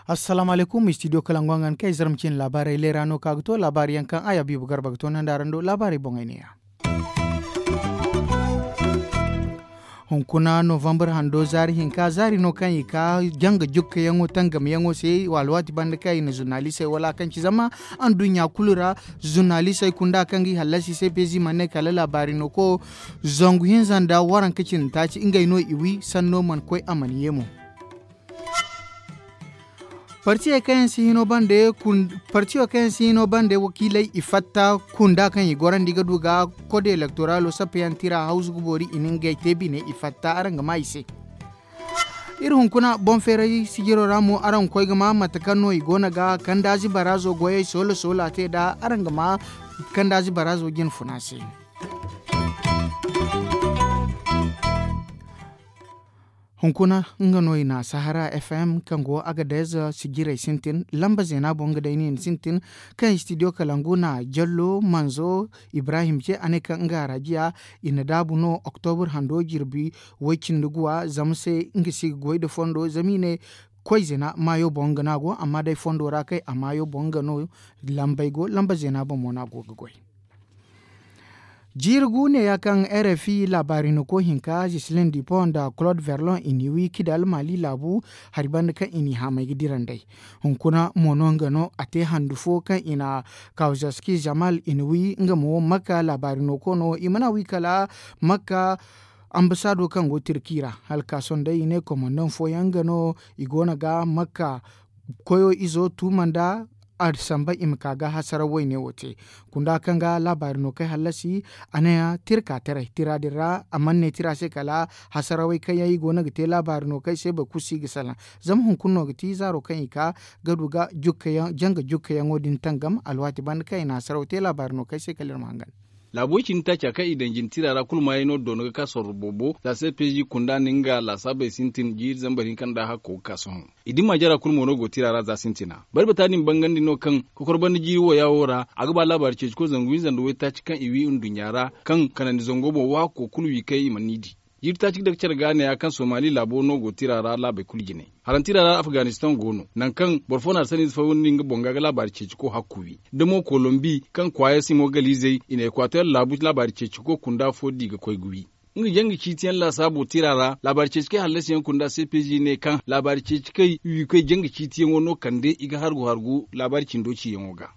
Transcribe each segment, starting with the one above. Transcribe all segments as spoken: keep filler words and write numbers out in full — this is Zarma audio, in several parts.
Assalaamu alaykum, istidiyo kalangu a ga ni kay zarma cine laabaarey leera no ka ga to laabaari yaŋ kaŋ a ya biibo garba ga to nanda araŋ do laabaarey boŋey ne- ya. Hunkuna novambar hando zaari hinka zaari no kaŋ i ka janga jukkayaŋo tangamyaŋo se alwaati banda kaŋ i na zurnalisey wala kaŋ ci zama anduɲɲa kulu ra. Zurnalisey kunda kaŋ ga i hallasi se peezi mana ne kala laabaari no ko zangu hinza nda waranka cindi taaci ngey no i wi sanno mana koy a mana ye mo. Partiyo kaŋ yaŋ si hino bande wakiiley i fatta kunda kaŋ i gorandi ga du ga kode elektoralo sappeyaŋ tira hawzu ga boori i na ngey te bine i fatta araŋ ga ma i se. Iri hunkuna boŋ feeray sijiro ra mo araŋ ga koy ga ma mate kaŋ no i go no ga kandaazi baraazo goyey soola soola te nd'a araŋ ga ma kandaazi baraazo jine funa se. Hunkuna nga no i na sahara fm kaŋ go agadez sijirey sintin lamba zeena boŋ ga day no i na sintin kaŋ istidiyo kalangu na jallo manzo ibrahim ce a ne kaŋ nga arajiya i na daabu no oktobur hando jirbi way cindi guwa zama se nga si ga goy nda fondo zama i ne koy zeena maayo boŋ nga no a go amma day fondo ra kay a maayo boŋ nga no lambey go lamba zeena boŋ mo no a go ga goy. Jiiri gu neeya kaŋ rfi laabaari no ko hinka jislin dipo nda claude verlon i n'i wi kidal maali laabu hari banda kaŋ i n'i haamay ga dira nd'ey. Hunkuna mo no nga no a te handu fo kaŋ i na kawzaski jamal i na wi nga mo makka laabaari no ko no i mana wi kala makka ambasaado kaŋ go tirki ra hala ka sohõ day i ne komandaŋ fooyaŋ nga no i go no ga makka koyo izo tuuma nda a samba i ma ka ga hasaraw wayne wo te. Kunda kaŋ ga laabaari no kay hallasi a ne tirka taray tira din ra a mana ne tira se kala hasarawey kaŋ yaŋ i go no ga te laabaari no kay se boro kulu si ga salaŋ. Zama hunkuna no ga ti zaaro kaŋ i ka ga du ga janga jukkayaŋo din tangam alwaati banda kaŋ i na hasaraw te laabaari no kay se kala iri ma hangan. Laabo cindi taaca kaŋ i daŋ jina tira ra kulu maayey no doono ga ka sorro boobo za se peezi kunda nda nga laasaabey sintin jiiri zambar hinka nda hakko ga ka sohõ. I dimma jara kulu mo no go tira ra za sintina barbata din bangandi no kaŋ kokor banda jiiri wooya wo ra a ga ba laabaari ceeci koy zangu hinza nda waytaaci kaŋ i wi nduɲɲa ra kaŋ kanandi zango boŋ waako kulu wi kay i mana ni di. Jiiri taaci ga dake care ga neeya kaŋ somali laabo no go tira ra laabey kulu jine. Haraŋ tira ra afganistaŋ go no nangu kaŋ boro fo na arsaniize fawandi nga boŋ ga ga laabaari ceeci ko hakku wi da mo kolombi kaŋ kwaaya simogalizey i na ekwater laabu laabaari ceeci ko kunda fo di ga koy ga wi. Nga janga ciitiyaŋ laasaabo tira ra laabaari ceeci kay hallasiyaŋ kunda cpg ne kaŋ laabaari ceeci kay wiikoy janga ciitiyaŋo no kande i ga hargu hargu laabaari cindo ciyaŋo ga.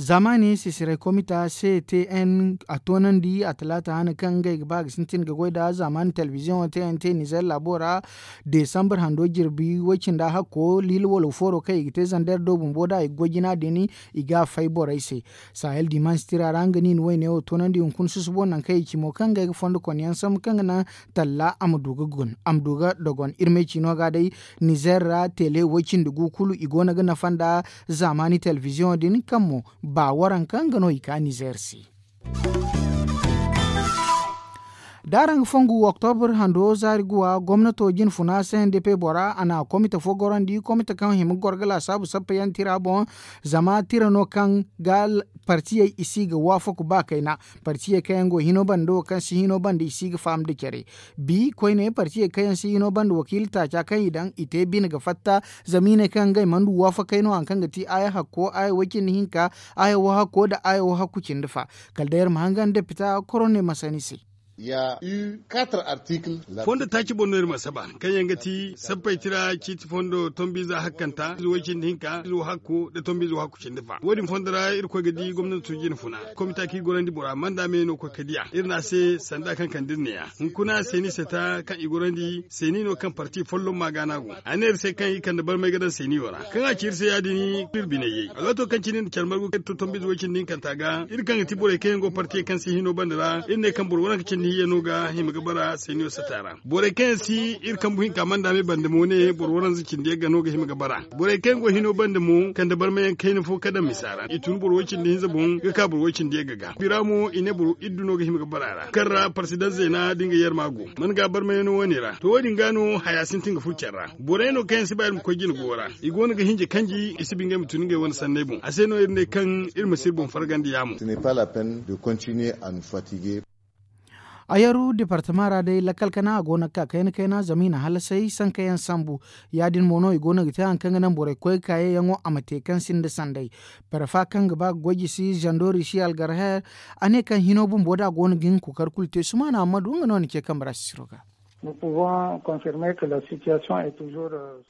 Zaamaani sisiray komita ctn a toonandi a talaata hane kaŋ ngey ga ba ga sintin ga goy nda zaamaani telebiziyoŋo tnt nizer laabo ra. Desambar hando jirbi way cindi a hakko liila walo fooro kaŋ i ga te zander do bumbo nd'a i ga goy jina din i ga a fay borey se. Sahel dimansi tira ra nga niina wayne wo toonandi hunkuna susubo nangu kaŋ i ci mo kaŋ ngey ga fondo konyaŋ sambu kaŋ ga naŋ talla a ma du ga dogon iri ma ay ci no ga day. Nizer ra tele way cindi gu kulu i go no ga nafa nda zaamaani telebiziyoŋo din kaŋ mo ba waranka nga no i ka nizer se. Da araŋ ga fongu oktobur hando zaari guwa gomnato jinfuna cndp bora a na komite fo gorandi komite kaŋ hima ga goro ga laasaabu sappa yaŋ tira boŋ. Zama tira no kaŋ ga partiyey i si ga waafaku ba kayna. Partiyey kaŋ yaŋ go hino banda wo kaŋ si hino banda i si ga faham nda care. Bi koyne partiyey kaŋ yaŋ si hino banda wakiila taaca kaŋ i daŋ i te bine ga fatta. Zama i ne kaŋ ngey mana du waafakey no hari kaŋ ga ti aya hakko aya way cindi hinka aya wahakko nda aya wahakku cindi fa. Kala day iri ma hangan depita korone masani se. Fondo taaci boŋ no iri ma saba kaŋ yaŋ ga ti sappey tira ciiti fondo tombiize hakkanta ize way cindi hinka ize wahakku nda tombiize wahakku cindi fa wo- din fondo ra irkoy ga di gomnanto jinfuna. Komita kaŋ i gorandi bora manda me no koy ka diya iri ne a se sanda kaŋ kande iri neeya. Hunkuna seeni seta kaŋ i gorandi seeni no kaŋ parti folloŋ ma gaana go a ne iri se kaŋ i kande barmay ga daŋ seeni wo ra kaŋ a ci iri se ya- din iri biney yay alwaato kaŋ cine nda care margu kaŋ iri to tombiize way cindi hinkanta ga iri kaŋ ga ti borey kaŋ yaŋ go partiyey kaŋ se hino banda ra iri ne kaŋ boro waranka cindi. Iyya no ga hima ga bara seniyo sata ra borey kaŋ yaŋ si iri kambu hinka manda me bande mo ne boro waranza cindi yaŋ ga no ga hima ga bara. Borey kaŋ yaŋ go hino bande mo kande barmayaŋ kayna fo ka daŋ misa ra i tun boro way cindi hinza boŋ ga ka boro way cindi yaŋ ga ga bira mo i ne boro iddu no ga hima ga bara ra kaŋ ra parsidan zeena da nga yarma go man ga barmayano wane ra to wo- din ga no haya sintin ga furo care ra. Borey no kaŋ yaŋ si ba iri ma koy jine go ra i go no ga hinja kanji i si ba ngey ma tun ngey wane sanney boŋ a se no iri ne kaŋ iri ma si iri boŋ fargandi yaamo. Ayaru departama ra day lakkal kana a go no ga ka kayna kayna zama i na hallasay sankayaŋ sambu. Ya- din mo no i go no ga te hari kaŋ ga naŋ borey koy ga ka yeeyaŋo a ma te kaŋ sinda sanday. Parfa kaŋ ga ba ga goy jisi zando risi algarher a ne kaŋ hino bumbo da a go no ga hin ga kookari kulu te sumaana amma du nga no ni ce kambe ra sisiro ga.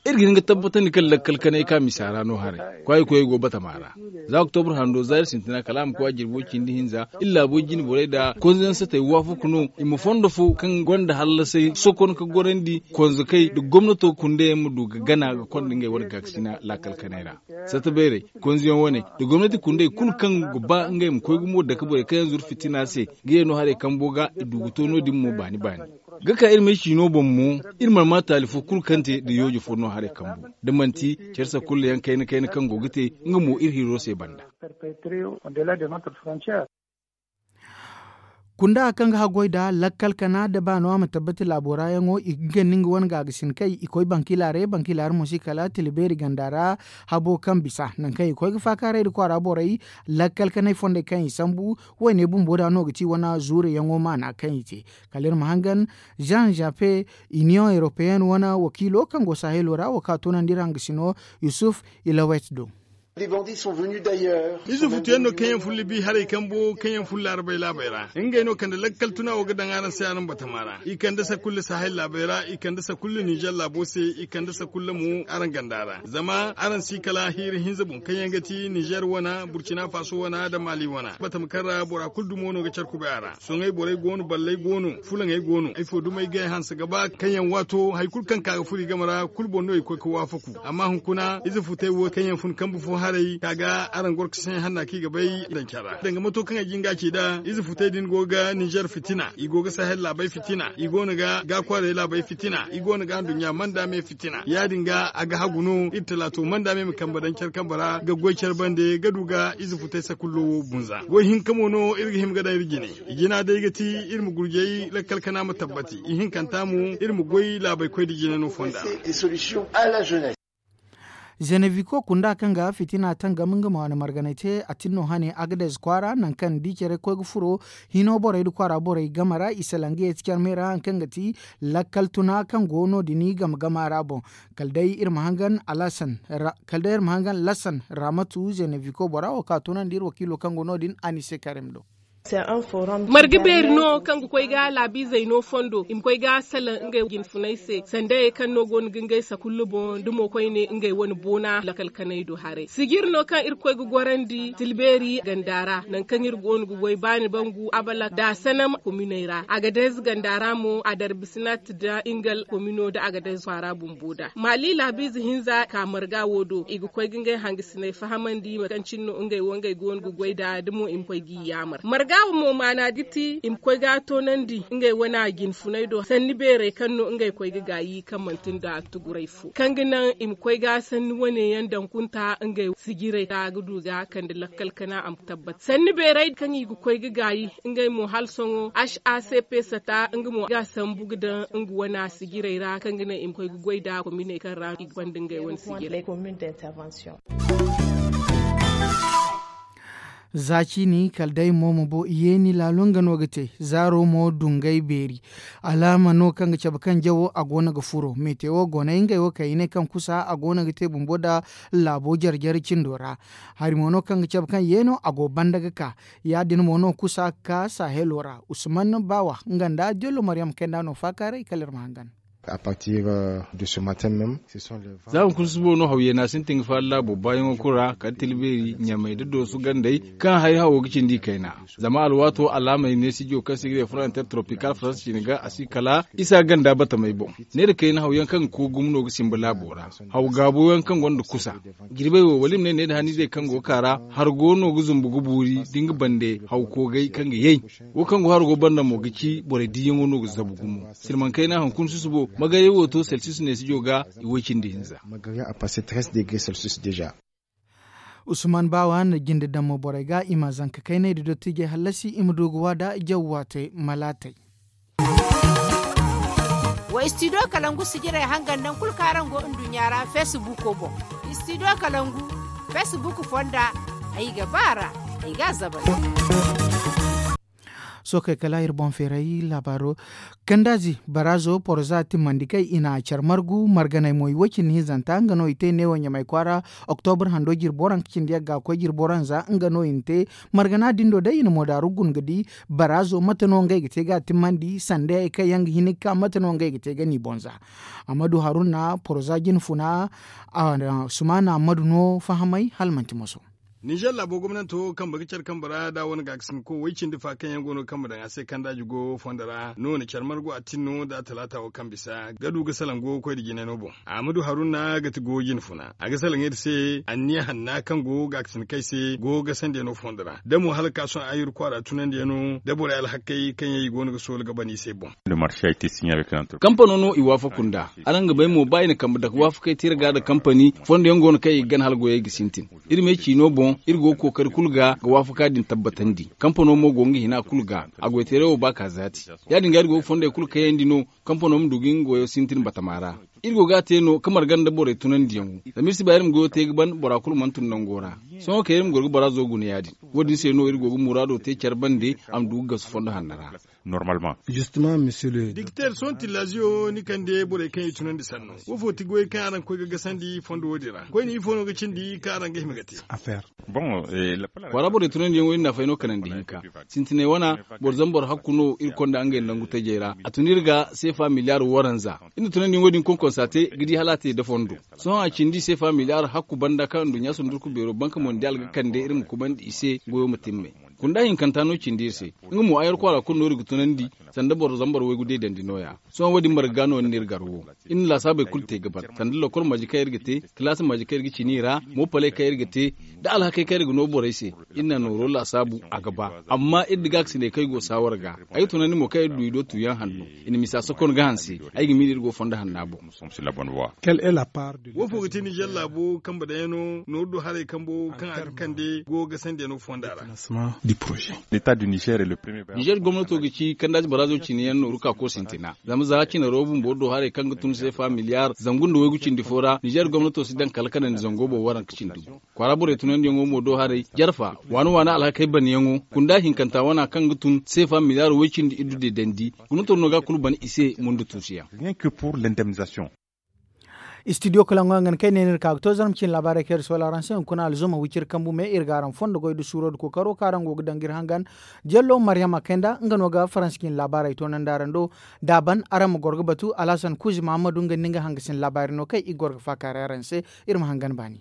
Iri ga hin ga tabbatandi kaŋ lakkal kanay ka misa ra no haray kwaayi koyey go batama ra. Za oktobur hando za iri sintina kala a ma koy a jirbo cindi hinza iri laabo jine borey nda konzayaŋ satey waafaku no i ma fondo fo kaŋ gonda hallasay sokon ka gorandi konzakey nda gomnato kundayaŋ ma du ga gana ga konda ngey wane gaakasina lakkal kanay ra. Sata bayray konzayaŋ wane nda gomnati kunday kulu kaŋ ga ba ngey ma koy gumo dake borey kaŋ yaŋ zuru fitina se ga ye no haray kambo ga i du ga to no- din mo baani baani. Ga ka iri m'ay ciino boŋ mo iri mana ma taali fo kulu kaŋ te nda yooje fo no haray kambu da manti care sakulla yaŋ kayna kayna kaŋ go ga te nga mo iri hiro se banda. Kunda kaŋ ga haggoy nda lakkal kana da ba no a ma tabbati laabo ra yaŋo i ga ganda nga wane gaagasin kay i koy bankilaaray bankilaaray mo si kala tila beeri ganda ra. Habo kaŋ bisa nangu kaŋ i koy ga faakaaray nda kwaara borey lakkal kanay fondey kaŋ i sambu. Wayne bumbo da no ga ti wane zuure yaŋo maana kaŋ i te kala iri ma hangan zan zape, iniyoŋ europeyenne wane wakiilo kaŋ go sahelo ra wo ka toonandi iri hangasino yusuf ilawet do. Ize futu yaŋ no kaŋ yaŋ fullu bi haray kambo kaŋ yaŋ fullu laarabey laabey ra ngey no kande lakkal tuna wo ga daŋ araŋ se araŋ batama ra i kande sakulla sahel laabey ra i kande sakulla nizer laabo se i kande sakulla mo araŋ ganda ra zama araŋ si kala hiiri hinza boŋ kaŋ yaŋ ga ti nizer wane burkina faso wane da mali wane batama kaŋ ra bora kulu dumo no ga care kubay a ra. Soŋay borey go no balley go no fulaŋey go no ifo dumey ga ay hanse ga ba kaŋ yaŋ waato hari kulu kaŋ ka ga furo i game ra kulu boŋ no i koy ga waafaku. Amma hunkuna ize futey wo kaŋ yaŋ fun kambe fo haray ka ga araŋ goro ga se hanna kaŋ i ga bay daŋ care ra danga mato kaŋ ay jin ga a ci nd'a ize futey din go ga nizer fitina i go ga sahel laabey fitina i go no ga gaakwaarey laabey fitina i go no ga anduɲɲa manda me fitina ya- din ga a ga hagu no iri talaato manda me ma kambe daŋ care kambe ra ga goy care bande ga du ga ize futey sakullo wo bunza goy hinka mo no iri ga hima ga daŋ iri jine. I jina day ga ti iri ma gurjay lakkal kana ma tabbati ihinkanta mo iri ma goy laabay koy da jina no fonda. Zeneviko kunda kaŋ ga fitina tangam nga ma wane marganay te a tinno hane agadez kwaara nangu kaŋ ni di care koy ga furo hino borey nda kwaara borey game ra i salange ti care me ra hari kaŋ ga ti lakkal tuna kaŋ go no- din game game ra boŋ. Kala day iri ma hangan alasan kala day iri ma hangan lasan ramatu zeneviko bora wo ka tunandi iri wakiilo kaŋ go no- din anise karim do. Marga beeri no kaŋ ga koy ga laabiizey no fondo i ma koy ga salaŋ ngey jinfuney se sandayey kaŋ no go no ga ngey sakullu boŋ da mo koyne ngey wane boona lakal kanay do haray sijiri no kaŋ iri koy ga gorandi tilbeeri ganda ra nangu kaŋ iri go no ga goy baani bangu abala da sanam kominey ra agadez ganda ra mo a darbisinat da ingal komino da agadez kwaara bumbo da maali laabiize hinza ka marga wo do i ga koy ga ngey hangasiney fahamandi mate kaŋ cine no ngey wo ngey go no ga goy nd'a da mo i ma koy g'i yaamar marga wo mo maana ga ti i ma koy ga a toonandi ngey wane a jinfuney do sanni beerey kaŋ no ngey koy ga gaayi kaŋ manti nda tuguray fo kaŋ ga naŋ i ma koy ga sanni wane yaŋ daŋ kunta ngey sijirey ra ga du ga kande lakkal kana a ma tabbat sanni beerey kaŋ i ga koy ga gaayi ngey mo hala sohõ hacp sata nga mo ga sambu ga daŋ nga wane a sijirey ra kaŋ ga naŋ i ma koy ga goy nd'a kominey kaŋ ra i ga gonda ngey wane sijirey. Za ciini kala day mo ma bo yeeni laalo nga no ga te zaaro mo dungay beeri. Alaama no kaŋ ga cabe kaŋ jawo a go no ga furo meete wo go no ay ngey wo kaŋ i ne kaŋ kusa a go no ga te bumbo nda laabo jare jare cindo ra. Hari mo no kaŋ ga cabe kaŋ yeeno a go banda ga ka ya- din mo no kusa ga ka sahelo ra usman baawa nga nda jollo maryam kayna no faakaaray kala iri ma hangan. Za hunkuna susubo no hawyaŋ no a sintin ga faala laabo baayaŋo kulu ra kala tilbeeri ɲamay nda doosu gandey, kaŋ hari hawo ga cindi i kayna. Zama alwaato alaamey neesijo kaŋ se i ga ne frontier tropikal faransa ciine ga a si kala isa ganda batamey boŋ. Neera kayna hawyaŋ kaŋ ga koy gumo no ga simba laabo ra. Haw gaabo yaŋ kaŋ gonda kusa. Jirbey wo wala i ma ne needa haniizey kaŋ go ga ka ra, hargo no ga zumbu ga buuri da nga bande haw koogay kaŋ ga yay. Wo kaŋ go hargo banda mo ga ci borey diiyaŋo no ga zabu gumo. Silmaŋ kayna hunkuna susubo magarya wo to celsius neesijo ga i way cindi hinza. Usman baawa na jinde daŋ mo borey ga i ma zanka kayney nda dottijey hallasi i ma du ga waada jaw waatey malaatey. Wa istidiyo kalangu sijirey hangan naŋ kulu kaŋ araŋ go nduɲɲa ra feesibuuko boŋ. Istidiyo kalangu feesibuuko fonda ay ga ba a ra. Ay ga a zabari. Sookey kala iri boŋ feeray laabaaro. Kandaazi baraazo poroza timmandi kay i na care margu marganey mo i way cindi hinzanta nga no i te neewo ɲamay kwaara. Oktobur hando jirbo ranka cindi yagga koy jirbo ranza nga no i na te. Margana din do day i na moodaaru guna ga di baraazo mate no ngey ga te ga a timmandi sanda yaŋ kaŋ yaŋ ga hin ga ka mate no ngey ga te ga ni boŋ za. Ammadu haruna poroza jine funa. Sumaana ammadu no fahamay hala manti moso. Ninzeer laabo gomnanto kambe ga care kambe ra da a wane gaakasinko way cindi fa kaŋ yaŋ go no ga kambe daŋ a se kandaaji go fondo ra no na care margu a tin no da talaata wo kaŋ bisa ga du ga salaŋ go ga koy nda jinay no boŋ. Ammadu haruna ga ti go jine funa a ga salaŋ iri se anniya hanna kaŋ go gaakasinkey se go ga sandiyano fondo ra da mo hala ga ka sohõ ayru kwaara tunandiyano da borey alhakey kaŋ yaŋ i go no ga soola ga ban i se boŋ. Kampano no i waafaku nd'a. Araŋ ga bay mo ba i na kambe dake waafakey te iri ga nda kampani fondo yaŋ go no kaŋ i ga gana hala goyey ga sintin. Iri me ciino boŋ iri go ga kookari kulu ga ga waafaka din tabbatandi. Kampano mo go nga hina kulu ga a goyteeray wo ba ka zaati. Ya- din ga iri go ga fondey kulu kayandi no kampano ma du ga nga goyo sintin batama ra. Iri go ga a te no ka marga nda borey tunandiyaŋo zama iri si ba iri ma goyo te ga ban bora kulu mana tun nango ra. Sohõ kay iri ma goro ga bora zo guna ya- din. Wo- din se no iri go ga muraado te care bande a ma du ga gasu fondo hanno ra. Dikteer sohõ tillaziyo ni kande borey kaŋ i tunandi sanno wo fo ti goyey kaŋ araŋ ga koy ga gasandi fondo wo- din ra koyne ifo no ga cindi kaŋ araŋ ga hima ga te? Kwaara borey tunandiyaŋo iri na fay no kanandi hinka. Sintinay wana boro zambar hakku no iri konda ngey nangu tajey ra a tun iri ga seefa miliyaar waranza. Iri na tunandiyaŋo din konkonsa te ga di hala a te da fondo. Sohõ a cindi seefa miliyaar hakku banda kaŋ nduɲɲa sundurku beero banka mondiyaal ga kande iri ma kubandi i se goyo ma timmay. Kunda hinkanta no cindi iri se. Nga mo ayar kwaara kulu no iri ga tunandi sanda boro zambar waygu deedandi nooya. Sohõ wo- din marga ga no ni na iri gar wo. Iri na laasaabey kulu te ga ban sanda lokol maji kaŋ iri ga te, kalaasi maji kaŋ iri ga cini i ra, moopaley kaŋ iri ga te, nda alhakey kaŋ iri ga no borey se. Iri na nooro laasaabu a ga ba. Amma iri da gaakasiney kaŋ i go saawar ga ay ga tunandi mo kaŋ iri du i do tuuyaŋ hanno. I na misa sokon ga hanse. Ay ga miila iri go fondo hanna boŋ. Wo fo ga ti nizer laabo kambe daŋ yaŋ no nooru do haray kambo kaŋ a ga kande go ga sandiyano fonda ra? Nizer gomnato ga ci kandaaji baraazo cine yaŋ nooru ka koy sintina. Zama za cine ro bumbo do haray kaŋ ga tun seefa miliyaar zangu nda waygu cindi fo ra nizer gomnato si daŋ kala kanandi zango boŋ waranka cindi gu. Kwaara borey tunandiyaŋo mo do haray jarfa waana waana alhakey banyaŋo kunda hinkanta wana kaŋ ga tun seefa miliyaar way cindi iddu deedandi. Guna toro no ga kulu ban i se mundu tuusuyaŋ. Istidiyo kalaŋo yaŋ ga ni kay ne no iri ka ga to zarma cine laabaarey kaŋ iri soola araŋ se hunkuna alzuma wiciri kambu me iri ga araŋ fondo goy nda suuro nda kookaro kaŋ araŋ go ga daŋ ga iri hangan. Jello maryama kayna nga no ga faransa cine laabaarey toonandi araŋ do. Da a ban araŋ ma goro ga batu alhasan kuuzi mahammadu nga nda nga hangasin laabaari no kaŋ i ga goro ga faakaaray araŋ se. Iri ma hangan baani.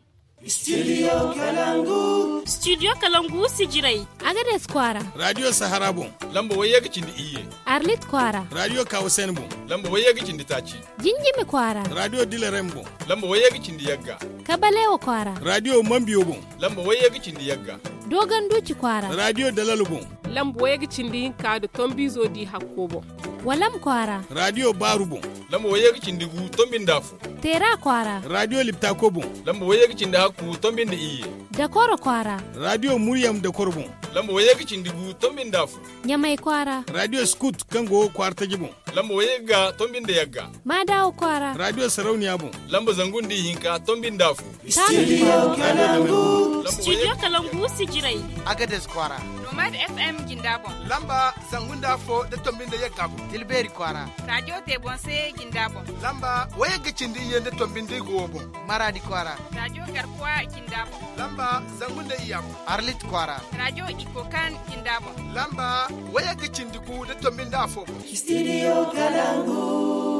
Studio kalangu sijirey. Agades kwaara. Radiyo sahara boŋ. Lamba wayye ga cindi iyye. Arlit kwaara. Radiyo kawusen boŋ. Lamba wayye ga cindi taaci. Jinjimi kwaara. Radiyo dilerem boŋ. Lamba wayye ga cindi yagga. Kabalewa kwaara. Radiyo mambiyo boŋ. Lamba wayye ga cindi yagga. Doganduci kwaara. Radiyo dalalo boŋ. Lamba wayye ga cindi hinka nda tombizo di hakko boŋ. Walam kwaara. Radiyo baaru boŋ. Lamba wayye ga cindi gu tombi nda afo. Teera kwaara. Radiyo liptako boŋ. Lamba wayye ga cindi hakku tombi nda iyye. Dakoro kwaara. Radiyo muryam dakoro boŋ. Lamba wayye ga cindi gu tombi nda afo. Ɲamay kwaara. Radiyo skut kaŋ go kwaara taji boŋ. Lamba wayye ga tombi nda yagga. Maadawo kwaara. Radiyo sarauniya boŋ. Lamba zangu nda ihinka tombi nda afo. Studio kalangu sijirey. Agades kwaara. Nomad fm jinda boŋ. Lamba zangu nda afo nda tombi nda yagga boŋ. Tilbeeri kwaara. Radiyo tebonse jinda boŋ. Lamba wayagga cindi iyye nda tombi nda igo wo boŋ. Maradi kwaara. Radiyo garkuwa jinda boŋ. Lamba zangu nda iyya boŋ. Arlit kwaara. Radiyo ikokan jinda boŋ. Lamba wayagga cindi gu nda tombi nda afo boŋ. Studio kalangu.